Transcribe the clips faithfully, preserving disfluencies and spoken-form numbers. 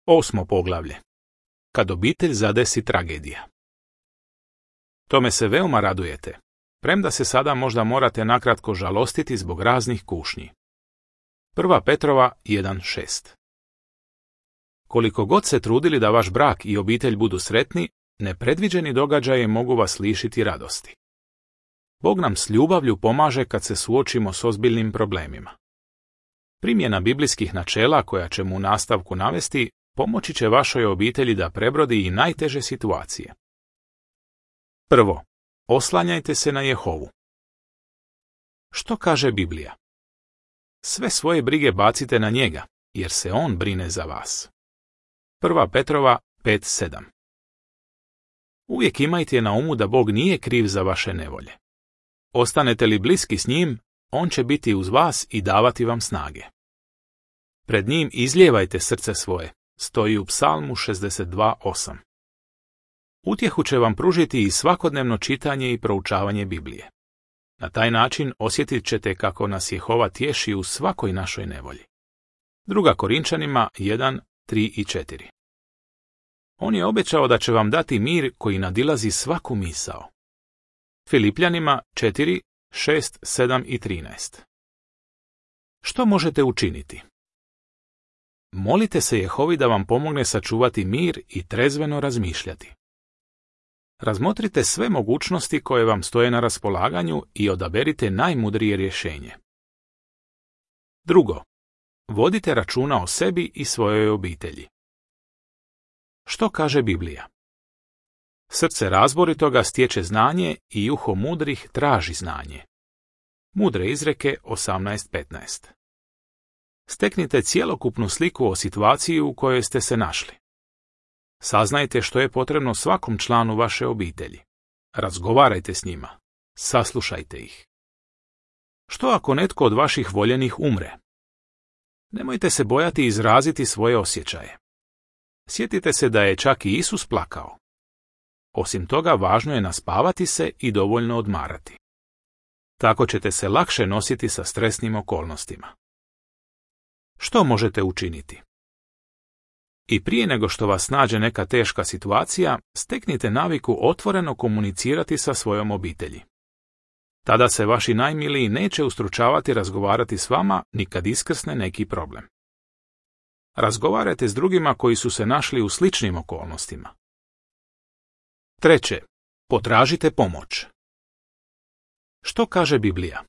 Osmo poglavlje. Kad obitelj zadesi tragedija. Tome se veoma radujete, premda se sada možda morate nakratko žalostiti zbog raznih kušnji. Prva Petrova jedan šest. Koliko god se trudili da vaš brak i obitelj budu sretni, nepredviđeni događaji mogu vas lišiti radosti. Bog nam s ljubavlju pomaže kad se suočimo s ozbiljnim problemima. Primjena biblijskih načela koja ćemo u nastavku navesti pomoći će vašoj obitelji da prebrodi i najteže situacije. Prvo, oslanjajte se na Jehovu. Što kaže Biblija? Sve svoje brige bacite na njega, jer se on brine za vas. Prva Petrova pet sedam. Uvijek imajte na umu da Bog nije kriv za vaše nevolje. Ostanete li bliski s njim, on će biti uz vas i davati vam snage. Pred njim izlijevajte srce svoje, stoji u Psalmu šezdeset dva osam. Utjehu će vam pružiti i svakodnevno čitanje i proučavanje Biblije. Na taj način osjetit ćete kako nas Jehova tješi u svakoj našoj nevolji. Druga Korinčanima jedan tri i četiri. On je obećao da će vam dati mir koji nadilazi svaku misao. Filipljanima četiri šest sedam i trinaest. Što možete učiniti? Molite se Jehovi da vam pomogne sačuvati mir i trezveno razmišljati. Razmotrite sve mogućnosti koje vam stoje na raspolaganju i odaberite najmudrije rješenje. Drugo, vodite računa o sebi i svojoj obitelji. Što kaže Biblija? Srce razboritoga stječe znanje i uho mudrih traži znanje. Mudre izreke osamnaest petnaest. Steknite cjelokupnu sliku o situaciji u kojoj ste se našli. Saznajte što je potrebno svakom članu vaše obitelji. Razgovarajte s njima. Saslušajte ih. Što ako netko od vaših voljenih umre? Nemojte se bojati izraziti svoje osjećaje. Sjetite se da je čak i Isus plakao. Osim toga, važno je naspavati se i dovoljno odmarati. Tako ćete se lakše nositi sa stresnim okolnostima. Što možete učiniti? I prije nego što vas nađe neka teška situacija, steknite naviku otvoreno komunicirati sa svojom obitelji. Tada se vaši najmiliji neće ustručavati razgovarati s vama ni kad iskrsne neki problem. Razgovarajte s drugima koji su se našli u sličnim okolnostima. Treće, potražite pomoć. Što kaže Biblija?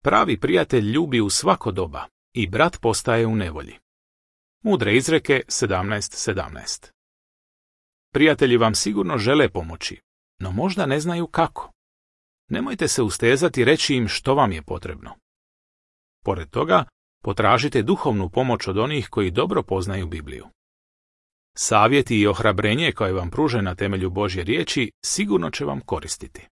Pravi prijatelj ljubi u svako doba i brat postaje u nevolji. Mudre izreke sedamnaest sedamnaest. Prijatelji vam sigurno žele pomoći, no možda ne znaju kako. Nemojte se ustezati reći im što vam je potrebno. Pored toga, potražite duhovnu pomoć od onih koji dobro poznaju Bibliju. Savjeti i ohrabrenje koje vam pruže na temelju Božje riječi sigurno će vam koristiti.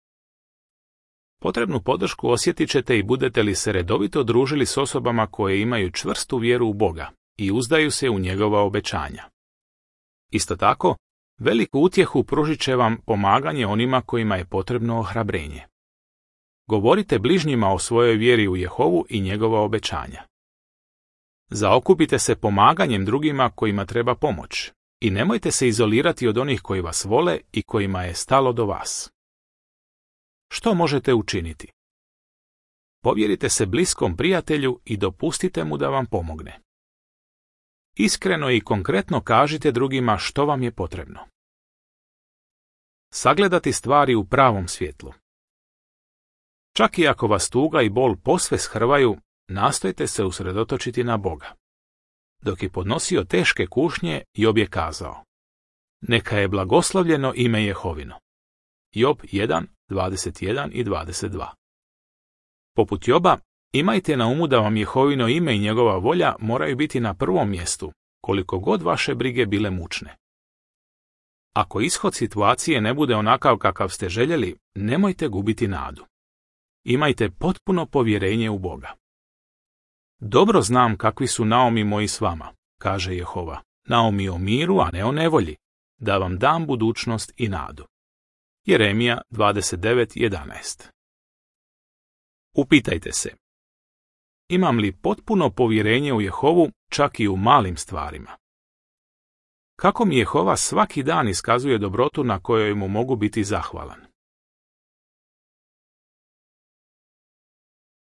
Potrebnu podršku osjetit ćete i budete li se redovito družili s osobama koje imaju čvrstu vjeru u Boga i uzdaju se u njegova obećanja. Isto tako, veliku utjehu pružit će vam pomaganje onima kojima je potrebno ohrabrenje. Govorite bližnjima o svojoj vjeri u Jehovu i njegova obećanja. Zaokupite se pomaganjem drugima kojima treba pomoć i nemojte se izolirati od onih koji vas vole i kojima je stalo do vas. Što možete učiniti? Povjerite se bliskom prijatelju i dopustite mu da vam pomogne. Iskreno i konkretno kažite drugima što vam je potrebno. Sagledati stvari u pravom svjetlu. Čak i ako vas tuga i bol posve shrvaju, nastojte se usredotočiti na Boga. Dok je podnosio teške kušnje, Job je kazao: Neka je blagoslovljeno ime Jehovino. Job jedan dvadeset jedan i dvadeset dva. Poput Joba, imajte na umu da vam Jehovino ime i njegova volja moraju biti na prvom mjestu, koliko god vaše brige bile mučne. Ako ishod situacije ne bude onakav kakav ste željeli, nemojte gubiti nadu. Imajte potpuno povjerenje u Boga. Dobro znam kakvi su naumi moji s vama, kaže Jehova, naumi o miru, a ne o nevolji, da vam dam budućnost i nadu. Jeremija dvadeset devet jedanaest. Upitajte se: imam li potpuno povjerenje u Jehovu čak i u malim stvarima? Kako mi Jehova svaki dan iskazuje dobrotu na kojoj mu mogu biti zahvalan.